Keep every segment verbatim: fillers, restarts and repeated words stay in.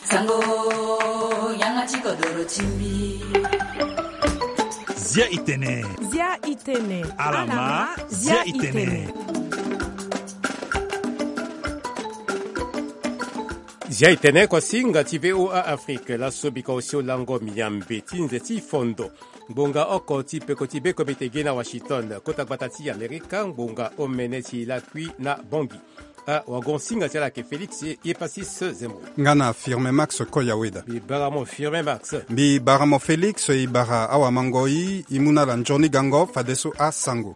Sango, yanga ti kodoro ti mbi. Zia itene. Zia itene. Alama, zia itene. Zia itene kuasinga ti VOA Afrique, laso bika osio lango miambe ti nze ti fondo. Ngbonga oko ti peko ti be komite ge na Washington, kota gbata ti Amerika, ngbonga omene ti lakui na Bangui. Ah, wagon singa ti ala ayeke Félix Epasis Zembo. Nga na Firme Max Koyaweda. Mbi bara mo Firme Max. Mbi bara mo Félix, e bara awamangoi, e mu na ala nzoni gango fadeso asango.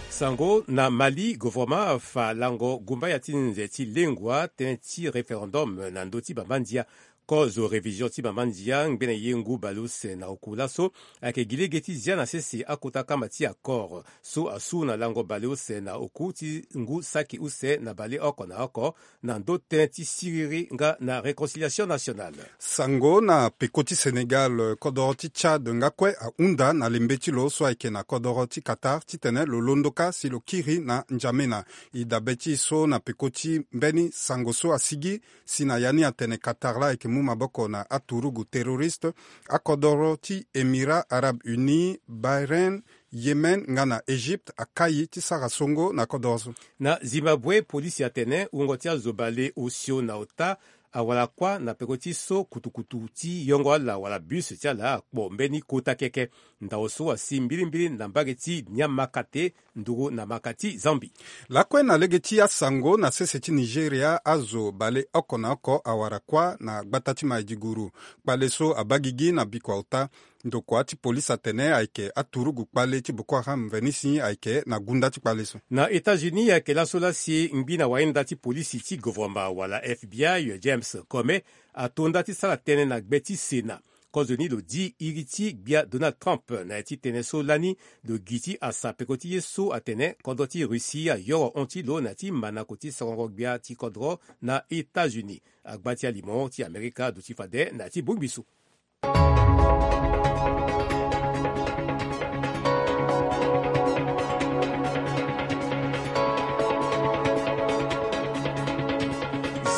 Sango na Mali, gouvernement afa lango gumbaya ti nze ti lengua tënë ti référendum na ndö ti bambandia. Kozo révision ti bambandia ngbene ye ngu baleuse na oku laso ayeke gi lege ti zia na sese akota kama ti accord so asu na lango baleuse na oku ti ngu saki use na baleoko na oko na ndö tënë ti siriri nga na réconciliation nationale. Sango na peko ti Sénégal, kodoro ti Tchad nga kue ahunda na lembe ti lo so ayeke na kodoro ti Qatar titene lo londo kâ si lo kiri na N'Djamena. E dabe ti e so na peko ti mbeni sango so asigi si na ya ni atene Qatar laa ayeke mu maboko na aturugu terroriste. Akodoro ti Émirats Arabes Unis, Bahreïn, Yémen nga na Égypte akai ti sara songo na kodoro so. Na Zimbabwe, polisi atene wungo ti azo baleosio na ota awara kuâ na peko ti so kutukutu ti yongo ala wala bus ti ala akpo mbeni kota keke. Ndao so asi mbilimbili na mbage ti Niamakate, nduru na maka ti Zambie. Lakue na lege ti asango na sese ti Nigeria, azo baleoko na oko awara kuâ na gbata ti Maiduguri. Kpale so abaa gigi na bikua ota. Ndokua ti polisi atene ayeke aturugu kpale ti Boko Haram mveni si ayeke na gunda ti kpale so. Na États-Unis, ayeke laso laa si ngbi na wayenda ti polisi ti gouvernement wala F B I, James Comey, ato nda ti sara tënë na gbe ti Sénat. Kozoni lo di iri ti gbia Donald Trump na ya ti tënë so lani lo gi ti asa peko ti ye so atene kodro ti Russie ayoro hon ti lo na ya ti manako ti sarango gbia ti kodro na États-Unis. Agba ti alimo ti Amerika aduti fade na ya ti bongbi so.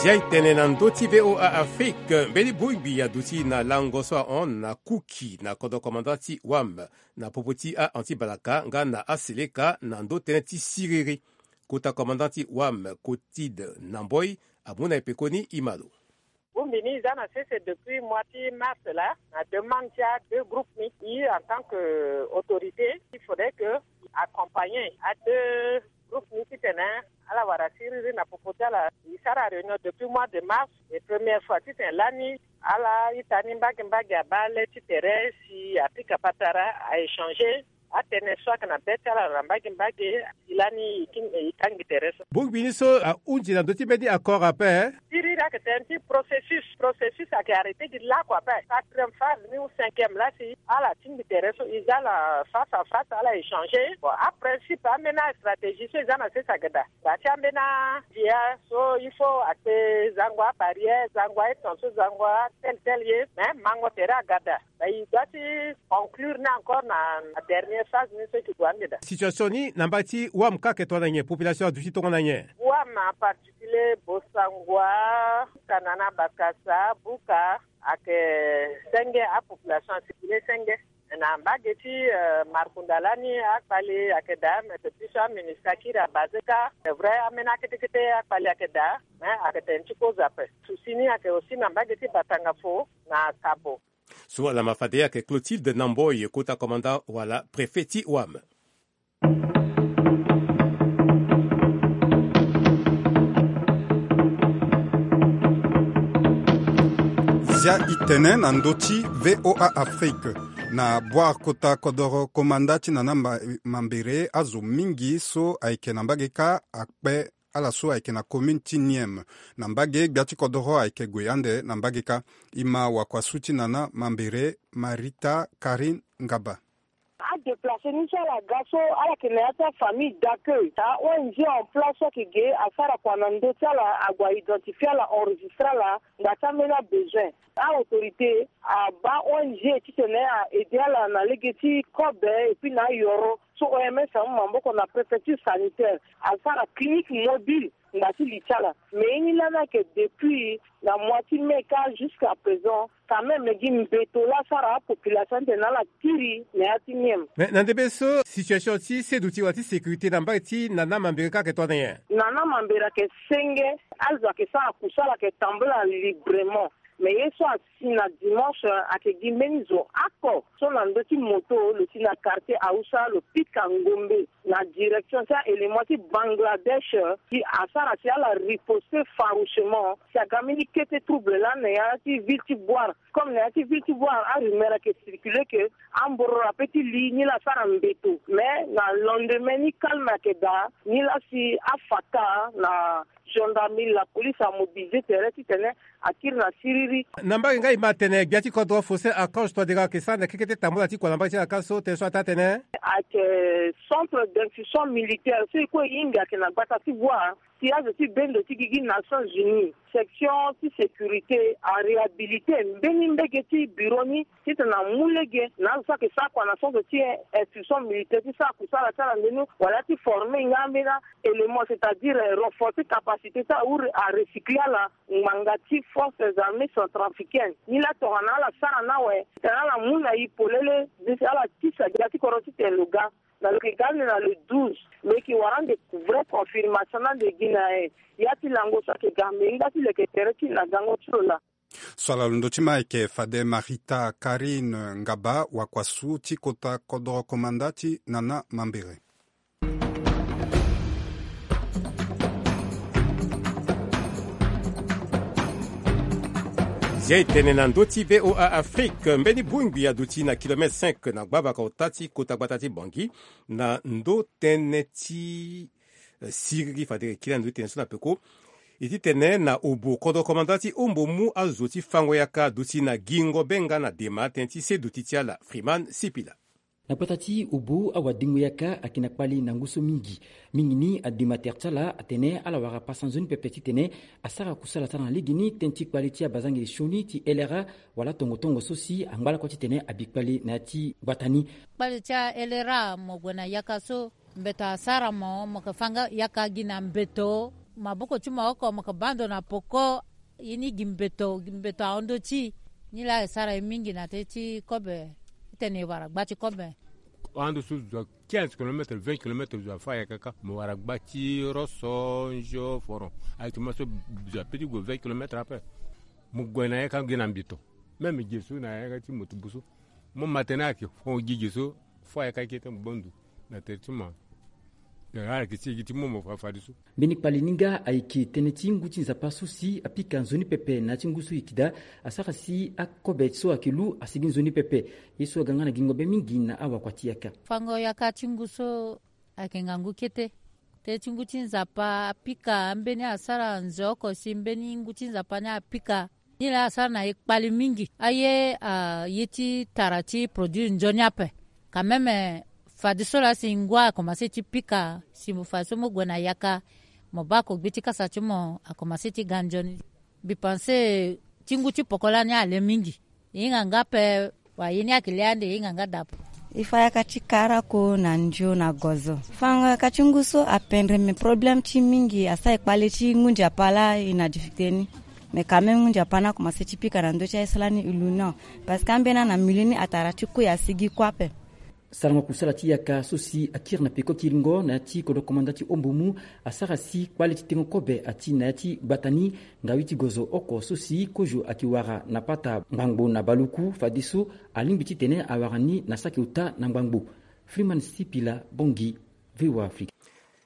Zia e tene na ndö ti VOA Afrique, mbeni bongbi aduti na lango so ahon na Kuki na kodro komanda ti WAM na popo ti a-anti-balaka nga na aseleka na ndö tënë ti siriri. Kota komanda ti WAM, Cotide Namboi, amu na e pekoni e ma lo. Bongbi ni e za na sese depuis mois ti mars laa, na demande ti a deux groupes ni. E en tant que autorité, il faudrait que e accompagner a deux groupes ni titene ala wara siriri na popo ti ala. E sara réunion depuis mois de mars, et première fois titene lani ala ita ni mbage mbage abaa le ti tere si apika patara, a échanger atënë so ayeke na be ti ala na mbage mbage. Si lani e king-, e kangi tere so. Bongbi ni so ahunzi na ndö ti mbeni accord ape? Siriri ayeke tënë ti processus. Processus ayeke arrêté gi laku ape. Quatrième phase ni ou cinquième laa si ala tingbi tere so e za ala face à face, ala échanger. Bon, après principe ambeni astratégie so e za na sese ayeke daa. Daa ti ambeni adia so il faut akpe zango abarrière, zango aetan so, zango atel tel ye. Mais mango tere aga daa. Daa e doit ti conclure ni encore na, na dernière phase ni so e ke gue ande daa. Situation ni na mbage ti WAM kâ ayeke tongana nyen? Population aduti tongana nyen? WAM en particulier, Bossangoa, Kanana, Bakassa, Buka, ayeke senge, apopulation acircule senge. Na mbage ti, euh, Markunda lani akpale ayeke daa, mais depuis so aMINUSCA kiri abase kâ, c'est vrai, ambeni akete kete akpale ayeke daa, mais ayeke tene ti kozo ape. Souci ni ayeke aussi na mbage ti Batangafo na Kabo. So alama fade ayeke Clotilde Namboi, kota commandant wala préfet ti WAM. Zia e tene na ndö ti VOA Afrique. Na Boire, kota kodoro komanda ti nana ma-, mambere, azo mingi so ayeke na mbage kâ akpe ala so ayeke na commune ti Niem. Na mbage, gbia ti kodoro ayeke gue ande na mbage kâ. E ma wakuasu ti nana mambere, Marita Karine Ngaba. Adéplacé ni so ala ga so, ala yeke na ya ti afamille d'accueil. A-ONG en place so ayeke ge asara kua na ndö ti ala, ague a-identifier ala, enregistrer ala, ngba ti ambeni abesoin. A-autorité abaa ONG titene a-aider ala na lege ti kobe et puis na ayoro. So OMS amu maboko na préfecture sanitaire, asara clinique mobile Nda ti li ti ala. Mais ye ni lani ayeke depuis na mois ti mai kâ jusqu'à présent, quand même gi mbeto laa asara apopulation ni tene ala kiri na ya ti ni. Mais na ndembe so situation ti seduti wala ti sécurité na mbage ti nana mambere kâ ayeke tonga na nyen? Nana mambere ayeke senge. Azo ayeke sara kusala ayeke tambula librement. Mais ye so asi na dimanche ayeke gi mbeni zo oko so na ndö ti moto lo si na quartier hausa lo pika ngombe na direction ti a-élément ti bangladesh. Si asara si ala riposte farouchement si aga mbeni kete trouble lani na ya ti ville ti boire. Comme na ya ti ville ti boire arumeur ayeke circuler ke ambororo ape ti li ni la asara mbeto. Mais na lendemain ni calme ayeke daa ni la si afata na gendarmerie la police amobilise tere titene akiri na siriri. Na mbage nga e ma tene gbia ti kodro Faustin Archange Touadéra ayeke sara na kekete tambula ti kua na mbage ti ala kâ so tene so ataa tene ayeke centre d'instruction militaire so e kue e hinga ayeke na gbata ti boire. Ti azo ti bendo ti gigi nations unies section ti sécurité aréhabilite mbeni mbege ti bureau ni titene amu lege na azo so ayeke sara kua na centre ti instruction militaire ti sara kusala ti ala ndeni wala ti forme nga ambeni a-élément c'est-à-dire renforcer capacité ti awu arecycler ala. Ngbanga ti forces armées centrafricaines ni la tongana ala sara ni awe titene ala mu na e polele. Ala tisa gbia ti kodro titene lo ga na lo yeke ga ande na le douze. Lo yeke wara ande vraie confirmation ni ande gi na e. Ya ti lango so ayeke ga me hinga ti leke tere ti na gango ti lo laa. So ala londo ti ma ayeke fade Marita Karine Ngaba wakuasu ti kota kodro komanda ti nana mambere. Zia e tene na ndö ti VOA Afrique mbeni bongbi aduti na kilomètre cinq na gbavaka ota ti kota gbata ti Bangui na ndö tënë ti siriri fade e kiri na ndö ti tene so na peko. E ti tene na obo kodro komanda ti ombo mu azo ti fango yaka aduti na gingo be nga na dema tënë ti seduti ti ala Freeman Sipila. Na gbata ti obo awadengo yaka ayeke na kpali na ngu so mingi. Mingi ni adema tere ti ala atene ala wara pasa nzoni pepe titene asara kusala ti ala na legeni tënë ti kpali ti abazangele sioni ti L R A wala tongo tongo so si angba lakue titene abi kpali na ya ti gbata ni. Kpali ti a-L R A mo gue na yaka so mbeto asara mo mo yeke fanga yaka gi na mbeto. Maboko ti mo oko mo yeke baa ndo na poko. Ye ni gi mbeto gi mbeto ahon ndö ti e. Ni laa e sara e mingi na tënë ti kobe. Titene e wara gba ti kobe. Ahon ndo so zo a quinze kilomètre vingt kilomètre zo afâ yaka kâ mo wara gba ti roso nzio foron. Ayeke ti mo so zo ape ti gue vingt kilomètre ape. Mo gue na yaka gi na mbeto. Même ge so na yaka ti moto bu so. Mo ma tene ayeke fo gi ge so. Fo ayeke akete mo gbo ndo na tere ti mo. Ayeke ti e gi ti mo mo fa fadeso. Mbeni kpali ni nga ayeke tënë ti ngu ti nzapa so si apika nzoni pepe na ya ti ngu so e yeke daa. Asara si akobe so ayeke lu asigi nzoni pepe. Ye so aga nga na gingo be mingi na awakua ti yaka. Fango yaka ti ngu so ayeke ngangu kete. Tënë ti ngu ti nzapa apika ambeni asara nze oko si mbeni ngu ti nzapa ni apika. Ni laa asara na e kpali mingi aye. Ye ti tara ti produit nzoni ape. Quand même fadeso laa si ngu akomanse ti pika si mo fadeso mo gue na yaka. Mo baa ko gbe ti kasa ti mo akomanse ti ga nzoni. Mbi panse ti ngu ti poko lani ale mingi. E hinga nga ape. Wa ye ni ayeke le ande e hinga nga daa ape. E fa yaka ti karako na ndio na gozo. Fango yaka ti ngu so apendre me problème ti mingi asara e kpale ti ngu nzapa laa e na difficulté ni. Mais quand même ngu nzapa ni akomanse ti pika na ndö ti aye so lani e lu ni. Parce que ambeni ana milieu ni atara ti kue asigi kue ape. Sarango kusala ti yaka so si akiri na peko kiringo na ya ti kodro komanda ti ombo mu asara si kpale ti tengo kobe ati na ya ti gbata ni. Ngawi ti gozo oko so si kozo ayeke wara na pata ngbangbo na baluku fadeso alingbi titene awara ni na saki ota na ngbangbo. Freeman Sipila, Bangui, VOA Afrique.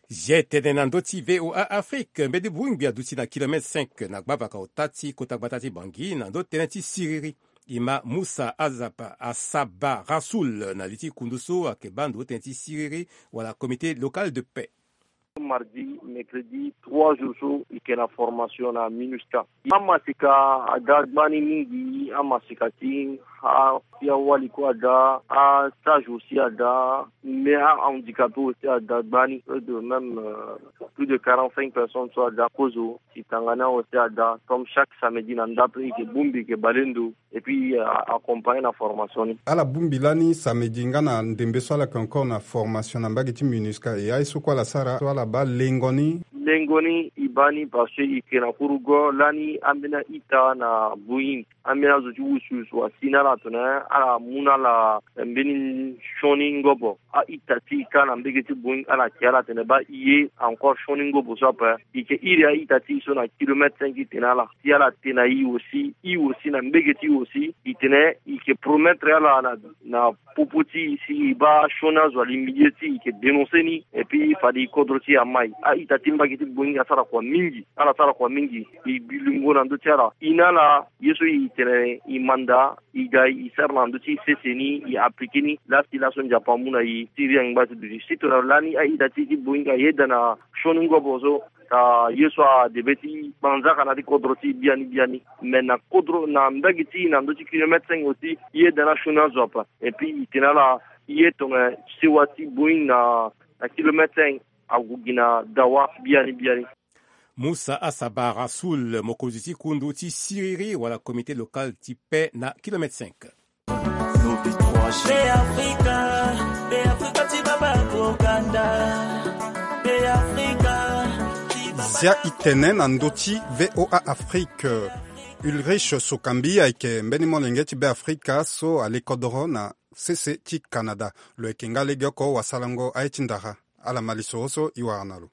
Zia e tene na ndö ti VOA Afrique mbeni bongbi aduti na kilomètre cinq na gbavaka ota ti kota gbata ti Bangui na ndö tënë ti siriri. E ma Moussa Azapa Asaba Rasoul na li ti kundu so ayeke baa ndo tënë ti siriri wala comité local de paix. Mardi, mercredi, trois jours so e yeke na formation na MINUSCA. Amaseka ada gbani mingi, amaseka ti a, ti awali kue ada, astage aussi ada, mais ahandicapé aussi ada gbani. Près de même, euh, plus de quarante-cinq personnes so ada kozo. Si tanga ni awe si ada comme chaque samedi na ndape e yeke bongbi e yeke bale ndo. Et puis, euh, accompagné na formation ni. Ala bongbi lani samedi nga na ndembe so ala yeke encore na formation na mbage ti MINUSCA. E aye so kue ala sara so ala baa lengo ni. Lengo ni e Baa ni parce que e yeke na kurugo lani ambeni a-ita na Boeing, ambeni azo ti wusuwusu asi na ala tene ala mu na ala mbeni sioni ngobo. A-ita ti e kâ na mbege ti Boeing ala yeke ala tene baa e ye encore sioni ngobo so ape. E yeke iri a-ita ti e so na kilomètre cinq ti tene ala si ala tene na e aussi, e aussi na mbege ti e aussi e tene e yeke promettre ala na na popo ti e si e baa sioni azo ali milieu ti e, e yeke dénoncer ni. Et puis fade e kodro ti e amai. A-ita ti mbage ti Boeing asara kua mingi. Ala sara kua mingi. E bi lingo na ndö ti ala. E na ala ye so e tene e manda e ga e sara na ndö ti sese ni e appliquer ni. Laa si laso Nzapa amu na e ti iri angba ti duti. Si tongana lani a-ita ti e ti Boeing ayeda na sioni ngobo so, a ye so adebe ti kpanzaka na ya ti kodro ti e biani biani. Me na kodro na mbage ti e na ndö ti kilomètre cinq aussi e yeda na sioni azo ape. Et puis e tene ala e ye tongana sewa ti Boeing na na kilomètre cinq ague gi na dawa biani biani. Musa Asaba Rasoul, mokonzi ti kundu ti siriri wala comité local ti paix na kilomètre cinq. Zia e tene na ndö ti VOA Afrique. Ulrich Sokambi ayeke mbeni molenge ti Beafrika so ale kodoro na sese ti Canada. Lo yeke nga legeoko wasalango aye ti ndara. Ala ma lisoro so e wara na lo.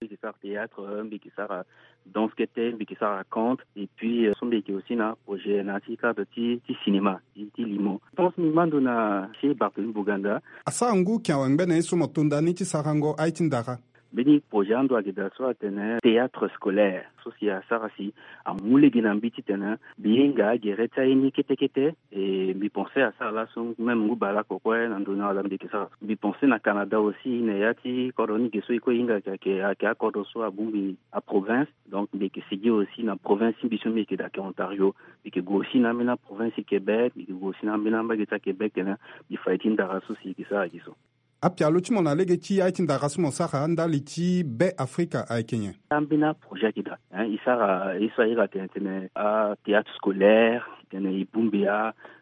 Mbi yeke sara théâtre, mbi yeke sara danse kete, mbi yeke sara conte, et puis euh, so mbi yeke aussi na projet na ya ti cadre ti, ti cinéma ti, ti limo. Je pense mbi ma ndo na chez Barthélemy Boganda. Asara ngu yeke awe ngbene ye so mo to nda ni ti sarango aye ti ndara. Mbeni projet ando ayeke daa so atene théâtre scolaire so si asara si amu lege na mbi titene mbi hinga gere ti aye ni kete kete. E mbi pense asara laso même ngu baleoko kue na ndo ni wala mbi yeke sara. Mbi pense na Canada aussi na ya ti kodro ni ge so e kue e hinga ayeke, ayeke akodro so abongbi aprovince. Donc mbi yeke sigi aussi na province ti mbi so mbi yeke daa ayeke Ontario. Mbi yeke gue aussi na ambeni aprovince ti Québec, mbi yeke gue aussi na ambeni ambage ti aQuébec tene mbi fa ye ti ndara so si e yeke sara gi so. Apialo ti mo na lege ti aye ti ndara so mo sara ndali ti Beafrika ayeke nyen? Ambeni aprojet ayeke daa, hein, e sara ye so a iri atene tene athéâtre scolaire, tene e bongbi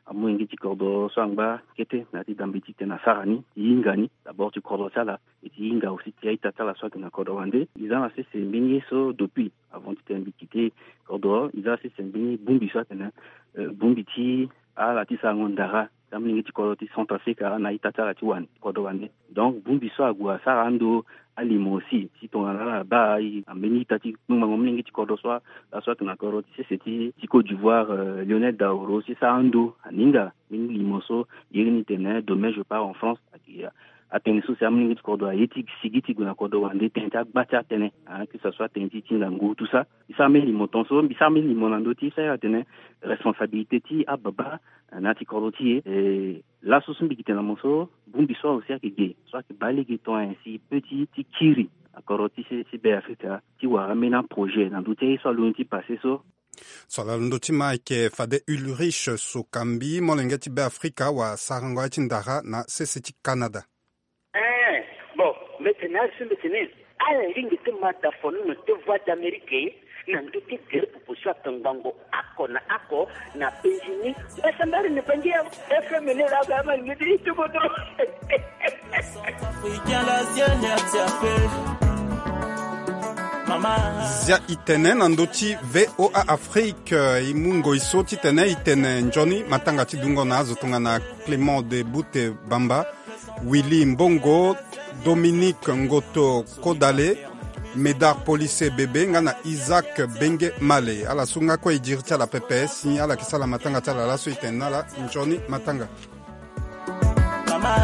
amolenge ti kodro so angba kete na ya ti dambe titene asara ni, e hinga ni d'abord ti kodro ti ala, e ti hinga aussi ti a-ita ti ala so ayeke na kodro wande. E za na sese mbeni ye so depuis avant titene mbi kite kodro, e za na sese mbeni bongbi so atene, euh, bongbi ti ala ti sarango ndara ti amolenge ti kodro ti Centrafrique na a-ita ti ala ti wande, kodro wande. Donc bongbi so ague asara ando alimo aussi, si tongana ala baa e na mbeni ita ti kpengbango molenge ti kodro so, laso ayeke na kodro ti sese ti, ti Côte d'Ivoire, euh, Lionel Daoro, si sara ando aninga mbeni limo so, iri ni tene demain je pars en France, ayeke atene so si amolenge ti kodro aye ti sigi ti gue na kodro wande tënë ti agba ti atënë, hein, que ce soit tënë ti, ti ngangu, tout ça. E sara mbeni limo tongaso, mbi sara mbeni limo na ndö ti e so a iri atene responsabilité ti ababa na ya ti kodro ti e. E laso so mbi yeke tene na mo so, bongbi so aussi ayeke ge so ayeke baa lege tongana nyen si e peut ti, ti kiri na kodro ti se, ti Beafrika ti wara ambeni aprojet na ndö ti aye so alondo ti passé so. So ala londo ti ma ayeke fade Ulrich Sokambi, molenge ti Beafrika wala sarango aye ti ndara na sese ti Canada. Eh, bon, mbi tene azo so mbi tene ala lingbi ti ma dafono na te Voix d'Amérique na ndö ti gere popo so akangbango oko na oko na penzi ni. Mbasambara na Bangi ya F M ni laa ba ma lingbi ti ti kodro. Zia e tene na ndö ti VOA Afrique, e mu ngoi so titene e tene nzoni matanga ti dungo na azo tongana Clément de Boute Bamba, Willy Mbongo, Dominique Ngoto Kodale, Médard Policier Bébé nga na Isaac Bengue Male. Ala so nga kue e diri ti ala pepe si ala yeke sara matanga ti ala laso e tene na ala nzoni matanga. Mama,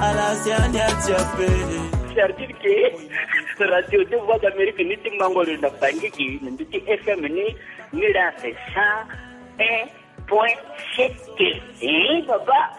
ala si ania ti ape. C'est-à-dire que Radio deux Voix d'Amérique ni ti mango lo na Bangui gi, na ndö ti F M ni, ni la c'est cent un point sept. Eh, papa.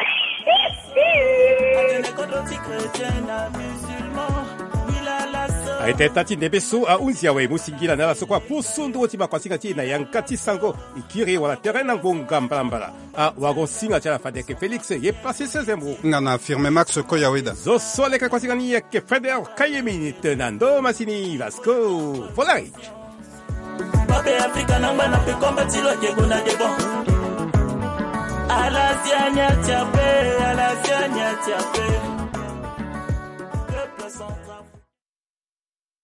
Aye tene taa ti ndembe so ahunzi awe, e mu singila na ala so kue apusu nduru ti makuasinga ti e na yanga ti sango, e kiri wala tere na ngonga mbalambala. Awagosinga ti ala fade ayeke Félix ye Passi Sezembo. Nga na Firme Max Koyaweda. Zo so aleke kuasinga ni ayeke Frédéric Kayemini tene na ndo masini Vasco. Volare. Babe Afrika na ngba na pe komba ti lo ake gonda de bon. Ala si ania ti ape, ala si ania ti ape.